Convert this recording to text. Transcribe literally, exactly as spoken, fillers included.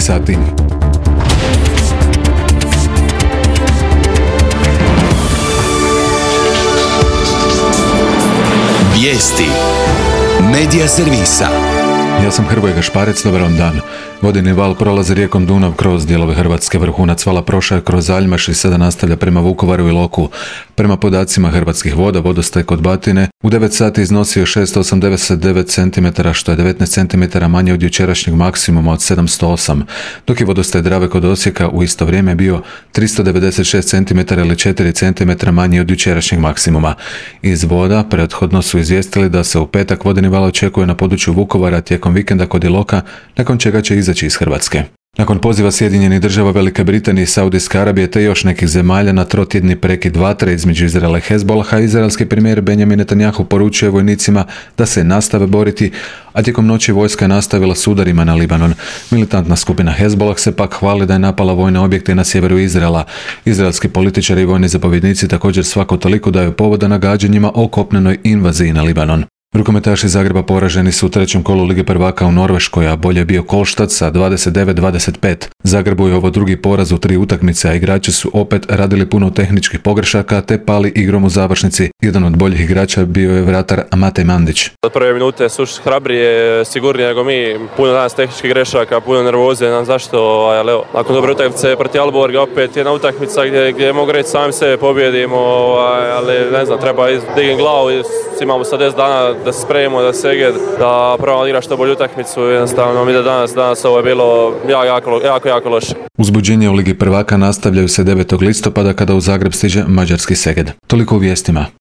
dvanaest sati. Vijesti Medija servisa. Ja sam Hrvoje Gašparec, dobar vam dan. Vodeni val prolazi rijekom Dunav kroz dijelove Hrvatske. Vrhunac vala prošao je kroz Aljmaš i sada nastavlja prema Vukovaru i Iloku. Prema podacima Hrvatskih voda, vodostaj kod Batine u devet sati iznosio šesto osamdeset devet centimetara, što je devetnaest centimetara manje od jučerašnjeg maksimuma od sedamsto osam, dok je vodostaj Drave kod Osijeka u isto vrijeme bio tristo devedeset šest centimetara ili četiri centimetra manji od jučerašnjeg maksimuma. Iz voda prethodno su izvijestili da se u petak vodeni val očekuje na području Vukovara tijekom vikenda kod Iloka, nakon čega će izaći iz Hrvatske. Nakon poziva Sjedinjenih država, Velike Britanije i Saudijske Arabije te još nekih zemalja na trotjedni prekid vatre između Izraela i Hezbolaha, izraelski premijer Benjamin Netanjahu poručuje vojnicima da se nastave boriti, a tijekom noći vojska je nastavila s udarima na Libanon. Militantna skupina Hezbolah se pak hvali da je napala vojne objekte na sjeveru Izraela. Izraelski političari i vojni zapovjednici također svako toliko daju povoda nagađanjima o kopnenoj invaziji na Libanon. Rukometaši Zagreba poraženi su u trećem kolu Lige prvaka u Norveškoj, a bolje je bio Kolštad sa dvadeset devet dvadeset pet. Zagrebu je ovo drugi poraz u tri utakmice, a igrači su opet radili puno tehničkih pogrešaka te pali igrom u završnici. Jedan od boljih igrača bio je vratar Matej Mandić. Od prve minute su hrabrije, sigurnije nego mi. Puno danas tehničkih grešaka, puno nervoze, nam zašto, ali evo, nakon dobre utakmice protiv Alborga opet jedna utakmica gdje, gdje mogu reći sami sebe pobjedimo, ali ne znam, treba dignuti glavu, imamo sad deset dana da se spremimo, da se eged, da probamo igrati što bolju utakmicu. Jednostavno mi da danas, danas ovo je bilo jako, jako, jako, jako loše. Uzbuđenje u Ligi prvaka nastavljaju se devetog listopada kada u Zagreb stiže mađarski Seged. Toliko u vijestima.